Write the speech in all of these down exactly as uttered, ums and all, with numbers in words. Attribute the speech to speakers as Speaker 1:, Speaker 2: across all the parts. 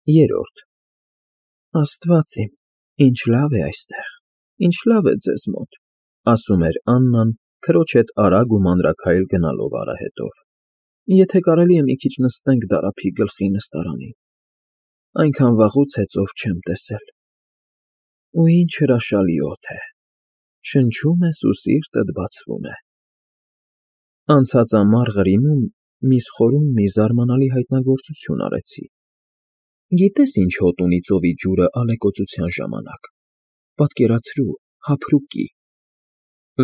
Speaker 1: Երրորդ Աստված իմ, ինչ լավ է այստեղ, ինչ լավ է ձեզ մոտ, ասում էր Աննան, քրոջ հետ արագ ու մանրաքայլ գնալով արահետով, եթե կարելի է մի քիչ նստենք Դարափի գլխի նստարանին, այնքան վաղուց է ծով չեմ տեսել, ու ինչ հրաշալի օդ է, շնչում ես ու սիրտդ բացվում է։ Անցած ամառ Ղրիմում միս խորում մի զարմանալի հայտնագործություն արեցի։ Գիտես ինչ հոտ ունի ծովի ջուրը ալեկոծության ժամանակ, պատկերացրու, հափրուկի։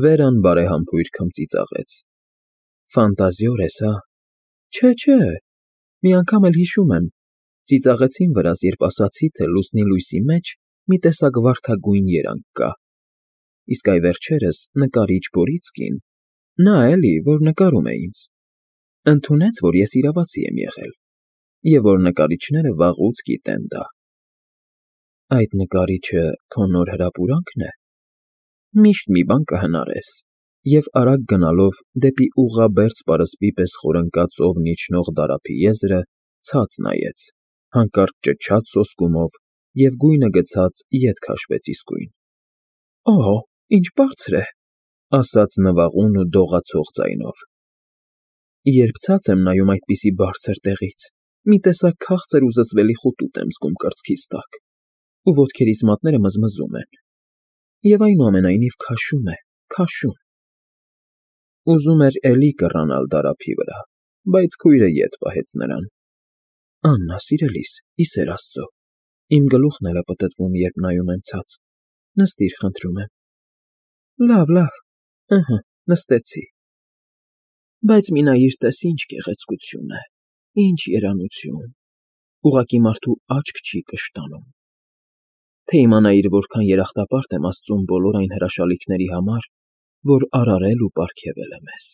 Speaker 1: Վերան բարեհամբույր քմծիծաղեց։ Ֆանտազիոր ես, հա։ Չէ, չէ, մի անգամ էլ հիշում եմ, ծիծաղեցին վրաս, երբ ասացի, թե լուսնի լույսի մեջ մի տեսակ վարդագույն երանգ կա։ Իսկ այ վերջերս նկարիչ Բորիցկին, նա էլի, որ նկարում է ինձ, ընդունեց, որ ես իրավացի եմ եղել, և որ նկարիչները վաղուց գիտեն դա։ Այդ նկարիչը քո նոր հրապուրանքն է։ Միշտ մի բան կհնարես, և արագ գնալով դեպի ուղղաբերձ պարսպի պես խորընկած ծովն իջնող Դարափի եզրը ցած նայեց, հանկարծ ճչաց սոսկումով և գույնը գցած ետ քաշվեց իսկույն։ Օհո, ինչ բարձր է, ասաց նվաղուն ու դողացող ձայնով։ Երբ ցած եմ նայում այդպիսի բարձր տեղից, մի տեսակ քաղցր ու զզվելի խուտուտ եմ զգում կրծքիս տակ, ու ոտքերիս մատները մզմզում են, և այնուամենայնիվ քաշում է, քաշում։ Ուզում էր էլի կռանալ Դարափի վրա, բայց քույրը ետ պահեց նրան։ Աննա, սիրելիս, ի սեր Աստծո, իմ գլուխն էլ է պտտվում, երբ նայում եմ ցած, նստիր, խնդրում եմ։ Լավ, լավ, ըհը, նստեցի։ Բայց մի նայիր, տես ինչ գեղեցկություն է, ինչ երանություն, ուղղակի մարդու աչք չի կշտանում։ Թե իմանայիր որքան երախտապարտ եմ Աստծուն բոլոր այն հրաշալիքների համար, որ արարել ու պարգևել է մեզ։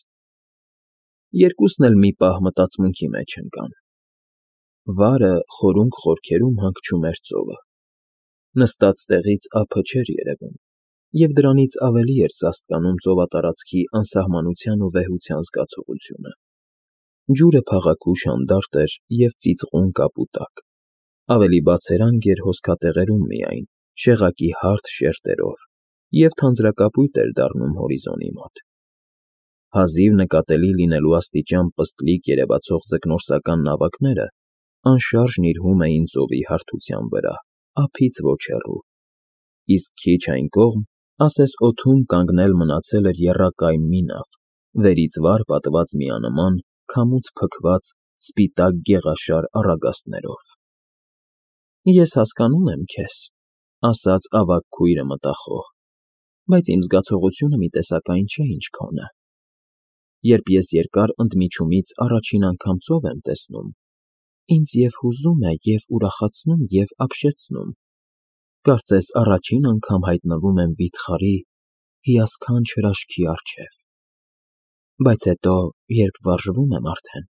Speaker 1: Երկուսն էլ մի պահ մտածմունքի մեջ ընկան։ Վարը խորունկ խորքերում հանգչում էր ծովը։ Նստած տեղից ափը չէր երևում, և դրանից ավելի էր սաստկանում ծովատարածքի անսահմանության ու վեհության զգացողությունը։ Ջուրը փաղաքուշ հանդարտ էր և ծիծաղում կապուտակ, ավելի բացերանգ էր հոսքատեղերում միայն, շեղակի հարթ շերտերով, և թանձրակապույտ էր դառնում հորիզոնի մոտ։ Հազիվ նկատելի լինելու աստիճան պստլիկ երևացող ձկնորսական նավակները անշարժ նիրհում էին ծովի հարթության վրա, ափից ոչ հեռու, իսկ քիչ այն կողմ, ասես օդում կանգնել մնացել էր եռակայմ մի նավ, վերից վար պատված միանման, քամուց փքված սպիտակ գեղաշար առագաստներով։ Ես հասկանում եմ քեզ, ասաց ավագ քույրը մտախոհ, բայց իմ զգացողությունը մի տեսակ այն չէ, ինչ քոնը։ Երբ ես երկար ընդմիջումից առաջին անգամ ծով եմ տեսնում, ինձ և հուզում է, և ուրախացնում, և ապշեցնում, կարծես առաջին անգամ հայտնվում եմ վիթխարի, հիասքանչ հրաշքի առջև։ Բայց հետո, երբ վարժվում եմ արդեն,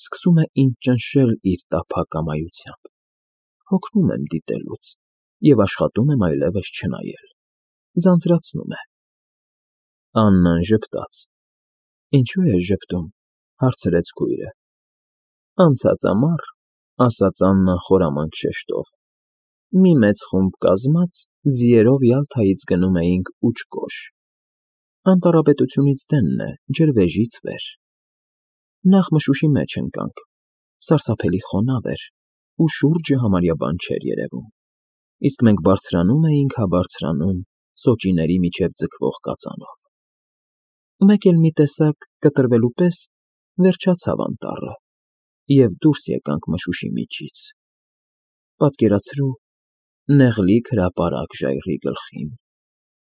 Speaker 1: սկսում է ինձ ճնշել իր տափակ ամայությամբ, հոգնում եմ դիտելուց և աշխատում եմ այլևս չնայել, ձանձրացնում է։ Աննան ժպտաց։ Ինչո՞ւ ես ժպտում, հարցրեց քույրը։ Անցած ամառ, ասաց Աննան խորամանկ շեշտով, մի մեծ խումբ կազմած ձիերով Յալթայից գնում էինք Ուչկոչ, անտառապետությունից դենն է, ջրվեժից վեր։ Նախ մշուշի մեջ ընկանք, սարսափելի խոնավ էր, ու շուրջը համարյա բան չէր երևում, իսկ մենք բարձրանում էինք հա բարձրանում սոճիների միջև ձգվող կածանով։ Մեկ էլ մի տեսակ կտրվելու պես վերջացավ անտառը, և դուրս եկանք մշուշի միջից։ Պատկերացրու, նեղլիկ հրապարակ ժայռի գլխին,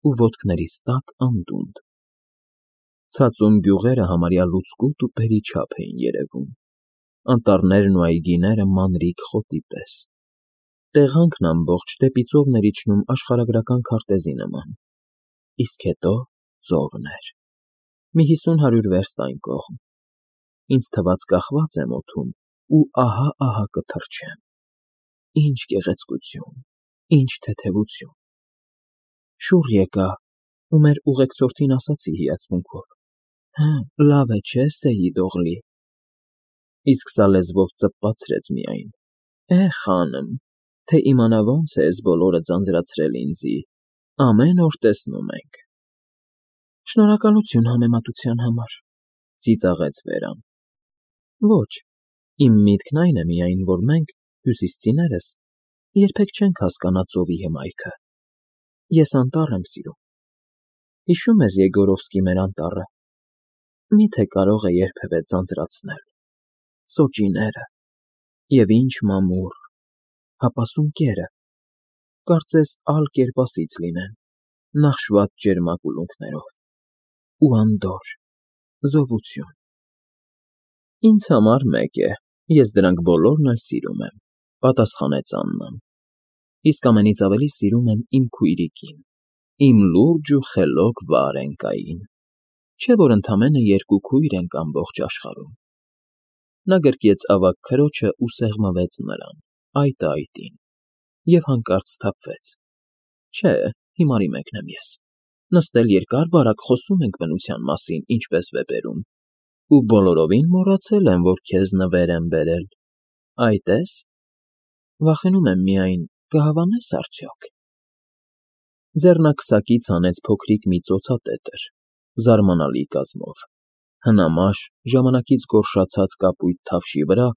Speaker 1: ու ոտքներիս տակ անդունդ։ Ցածուն գյուղերը համարյա լուցկուտ ու բերիչափ էին երևում, անտառներն ու այգիները մանրիկ խոտի պես, տեղանքն ամբողջ դեպի ծովն էր իջնում աշխարհագրական քարտեզի նման, իսկ հետո ծովն էր, մի հիսուն֊հարյուր վերստ այն կողմ։ Ինձ թվաց կախված եմ օդում ու ահա֊ահա կթռչեմ։ Ինչ գեղեցկություն, ինչ թեթևություն։ Շուռ եկա ու մեր ուղեկցորդին ասացի հիացմունքով. «Հը, լավ է, չէ՞, Սեյիդ Օղլի»։ Իսկ սա լեզվով ծպացրեց միայն. Է, խանմ, թե իմանա ոնց է էս բոլորը ձանձրացրել ինձի, ամեն օր տեսնում ենք։ Շնորհակալություն համեմատության համար, ծիծաղեց Վերան։ Ոչ, իմ միտքն այն է միայն, որ մենք, հյուսիսցիներս, երբեք չենք հասկանա ծովի հմայքը։ Ես անտառ եմ սիրում։ Հիշո՞ւմ ես Եգորովսկի մեր անտառը։ Մի՞թե կարող է երբևէ ձանձրացնել։ Սոճիները, և ինչ մամուռ, հապասում կերը, կարծես ալ կերպասից լինեն, նախշված ճերմակ ուլունքներով, ու անդորր, զովություն։ Ինձ համար մեկ է, ես դրանք բոլորն էլ սիրում եմ, պատասխանեց Աննան, իսկ ամենից ավելի սիրում եմ իմ քույրիկին, իմ լուրջ ու խելոք Վարենկային, չէ՞ որ ընդամենը երկու քույր ենք ամբողջ աշխարհում։ Նա գրկեց ավագ քրոջը ու սեղմվեց նրան, այտը այտին, և հանկարծ սթափվեց։ Չէ, հիմարի մեկն եմ ես, նստել երկար֊բարակ խոսում ենք բնության մասին, ինչպես վեպերում, ու բոլորովին մոռացել եմ, որ քեզ նվեր եմ բերել, այ տես, վախենում եմ միայն, կհավանե՞ս արդյոք։ Ձեռնարկսակից հանեց փոքրիկ մի ծոցատետր, զարմանալի կազմով, հնամաշ, ժամանակից գորշացած կապույտ թավշի վրա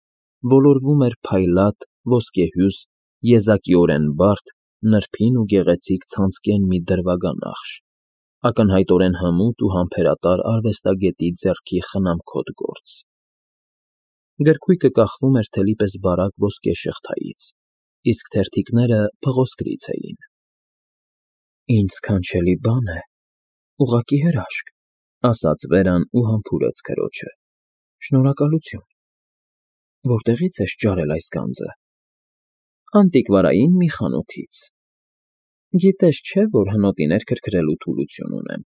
Speaker 1: ոլորվում էր փայլատ, ոսկեհյուս, եզակիորեն բարդ, նրբին ու գեղեցիկ ցանցկեն մի դրվագանախշ, ակնհայտորեն հմուտ ու համբերատար արվեստագետի ձեռքի խնամքոտ գործ։ Գրքույկը կախվում էր թելի պես բարակ ոսկե շղթայից, իսկ թերթիկները փղոսկրից էին։ Ինձ սքանչելի բան է, ուղղակի հրաշք, ասաց Վերան ու համբուրեց քրոջը։ Շնորհակալություն։ Որտեղի՞ց ես ճարել այս գանձը։ Անտիկվարային մի խանութից։ Գիտես չէ, որ հնոտիներ քրքրելու թուլություն ունեմ։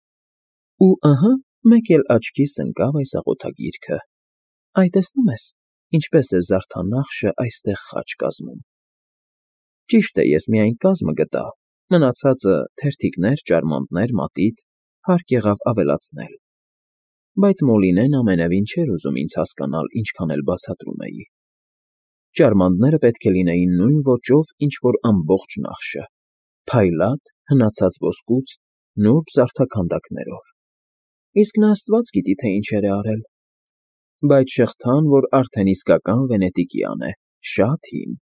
Speaker 1: Ու ըհը, մեկ էլ աչքիս ընկավ այս աղոթագիրքը։ Այ տեսնում ես, ինչպես է զարդանախշը այստեղ խաչ կազմում։ Ճիշտ է, ես միայն կազմը գտա, մնացածը՝ թերթիկներ, ճարմանտներ, մատիտ, հարկ եղավ ավելացնել։ Բայց Մոլինեն ամենևին չէր ուզում ինձ հասկանալ, ինչքան էլ բացատրում էի։ Ճարմանտները պետք է լինեին նույն ոճով, ինչ որ ամբողջ նախշը, փայլատ, հնացած ոսկուց, նուրբ զարդաքանդակներով։ Իսկ նա աստված գիտի, թե ինչեր է արել։ Բայց շղթան, որ արդեն իսկական վենետիկյան է, շատ հին։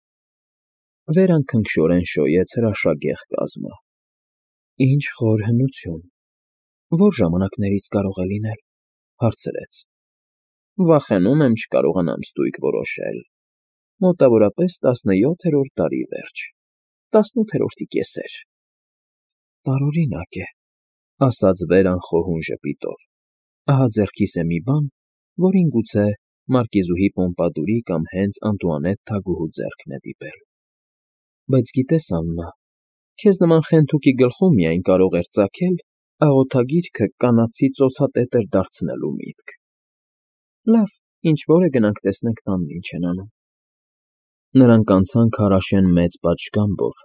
Speaker 1: Վերան քնքշորեն շոյեց հրաշագեղ կազմը։ Ինչ խոր հնություն։ Ո՞ր ժամանակներից կարող է լինել, հարցրեց։ Վախենում եմ չկարողանամ ստույգ որոշել։ Մոտավորապես տասնյոթերորդ դարի վերջ, տասնութերորդի կեսեր։ Տարօրինակ է, ասաց Վերան խոհուն ժպիտով։ Ահա ձեռքիս է մի բան, որին գուցե մարկիզուհի Պոմպադուրի կամ հենց Անտուանետ թագուհու ձեռքն է դիպել։ Բայց գիտես, Աննա, քեզ նման խենթուկի գլխում միայն կարող էր ծագել աղոթագիրքը կանացի ծոցատետր դարձնելու միտք։ Լավ, ինչ֊որ է, գնանք տեսնենք տանն ինչ են անում։ Նրանք անցան քարաշեն մեծ պատշգամբով,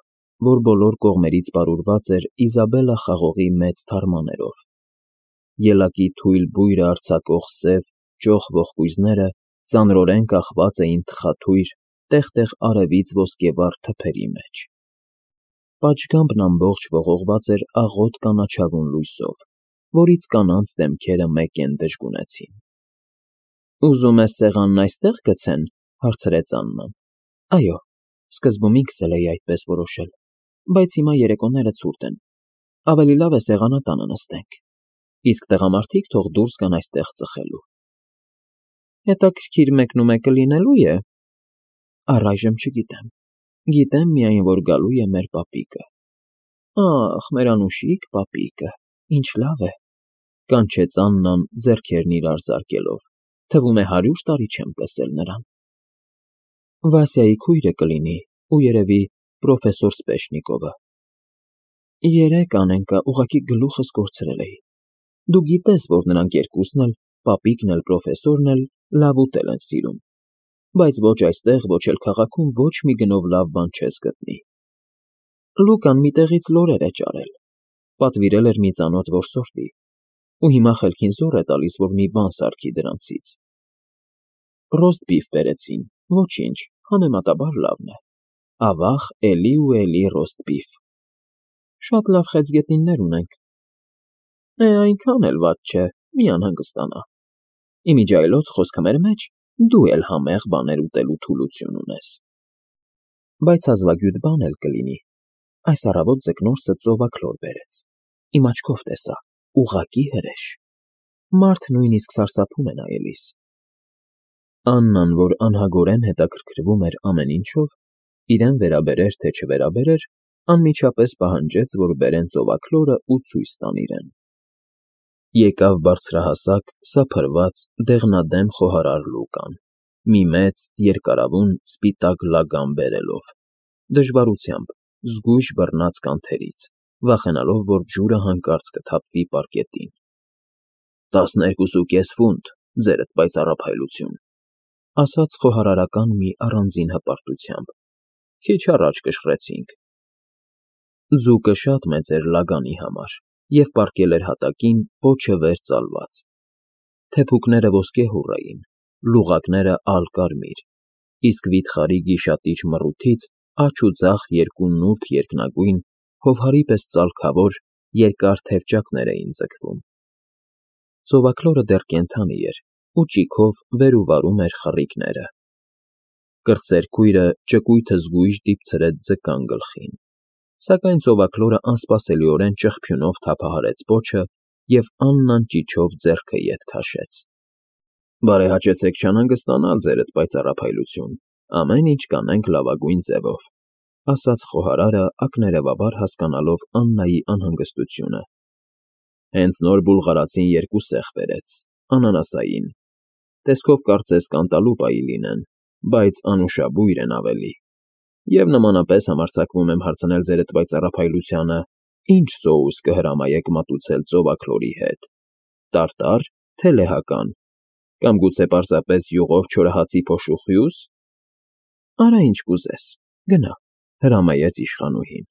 Speaker 1: որ բոլոր կողմերից պարուրված էր Իզաբելլա խաղողի մեծ թարմաներով։ Ելակի թույլ բույրը արձակող սև, ճոխ ողկույզները ծանրորեն կախված էին թխաթույր, տեղ֊տեղ արևից ոսկեվառ թփերի մեջ։ Պատշգամբն ամբողջ ողողված էր աղոտ կանաչավուն լույսով, որից կանանց դեմքերը մեկեն դժգունեցին։ Ուզում ես սեղանն այստեղ գցեն, հարցրեց Աննան։ Այո, սկզբում ինքս էլ էի այդպես որոշել, բայց հիմա երեկոները ցուրտ են, ավելի լավ է սեղանատանը նստենք, իսկ տղամարդիկ թող դուրս գան այստեղ ծխելու։ Հետաքրքիր մեկնումեկը լինելո՞ւ է։ Առայժմ չգիտեմ, գիտեմ միայն, որ գալու է մեր պապիկը։ Ախ, մեր անուշիկ պապիկը, ինչ լավ է, կանչեց Աննան ձեռքերն իրար զարկելով, թվում է հարյուր տարի չեմ տեսել նրան։ Վասյայի քույրը կլինի, ու երևի պրոֆեսոր Սպեշնիկովը։ Երեկ Անենկա, ուղղակի գլուխս կորցրել էի։ Դու գիտես, որ նրանք երկուսն էլ, պապիկն էլ, պրոֆեսորն էլ, լավ ուտել են սիրում, բայց ոչ այստեղ, ոչ էլ քաղաքում ոչ մի գնով լավ բան չես գտնի։ Լուկան մի տեղից լորեր է ճարել, պատվիրել էր մի ծանոթ որսորդի, ու հիմա խելքին զոռ է տալիս, որ մի բան սարքի դրանցից։ Ռոստ բիֆ բերեցին, ոչինչ, համեմատաբար լավն է։ ավաղ էլի ու էլի ռոստ բիֆ։ Շատ լավ խեցգետնիններ ունենք։ Է, այնքան էլ վատ չէ, մի անհանգստանա։ Իմիջիայլոց խոսքը մեր մեջ, դու էլ համեղ բաներ ուտելու թուլություն ունես։ Բայց հազվագյուտ բան էլ կլինի։ Այս առավոտ ձկնորսը ծովաքլոր բերեց։ Իմ աչքով տեսա, ուղղակի հրեշ։ Մարդ նույնիսկ սարսափում է նայելիս։ Աննան, որ անհագորեն հետաքրքրվում էր ամեն ինչով, իրեն վերաբերեր թե չվերաբերեր, անմիջապես պահանջեց, որ բերեն ծովաքլորը ու ցույց տան իրեն։ Եկավ բարձրահասակ, սափրված, դեղնադեմ խոհարար Լուկան, մի մեծ, երկարավուն, սպիտակ լագան բերելով, դժվարությամբ, զգույշ բռնած կանթերից, վախենալով, որ ջուրը հանկարծ կթափվի պարկետին։ «Տասներկուս ու կես ֆունտ, ձերդ պայծառափայլություն», ասաց խոհարարական մի առանձին հպարտությամբ, քիչ առաջ կշռեցինք։ Ձուկը շատ մեծ էր լագանի համար և պառկել էր հատակին, պոչը վեր ծալված։ Թեփուկները ոսկեհուռ էին, լուղակները ալկարմիր, իսկ վիթխարի գիշատիչ մռութից աջ ու ձախ երկու նուրբ երկնագույն, հովհարի պես ծալքավոր, երկար թևճակներ էին ձգվում։ Ծովաքլորը դեռ կենդանի էր ու ճիգով վեր ու վարում էր խռիկները։ Կրտսեր քույրը ճկույթը զգույշ դիպցրեց ձկան գլխին, սակայն ծովաքլորը անսպասելիորեն ճղփյունով թափահարեց պոչը և Աննան ճիչով ձեռքը ետ քաշեց։ Բարեհաճեցեք չանհանգստանալ, ձերդ պայծառափայլություն, ամեն ինչ կանենք լավագույն ձևով, ասաց խոհարարը, ակներևաբար հասկանալով Աննայի անհանգստությունը։ Հենց նոր բուլղարացին երկու սեղ բերեց, անանասային։ Տեսքով կարծես կանտալուպայի լինեն, բայց անուշաբույր են ավելի։ Եվ նմանապես համարձակվում եմ հարցնել ձերդ պայծառափայլությանը, ինչ սոուս կհրամայեք մատուցել ծովաքլորի հետ, տարտա՞ր, թե լեհական, կամ գուցե պարզապես յուղով չորահացի փոշու խյու՞զ։ Արա ինչ կուզես, գնա, հրամայեց իշխանուհին։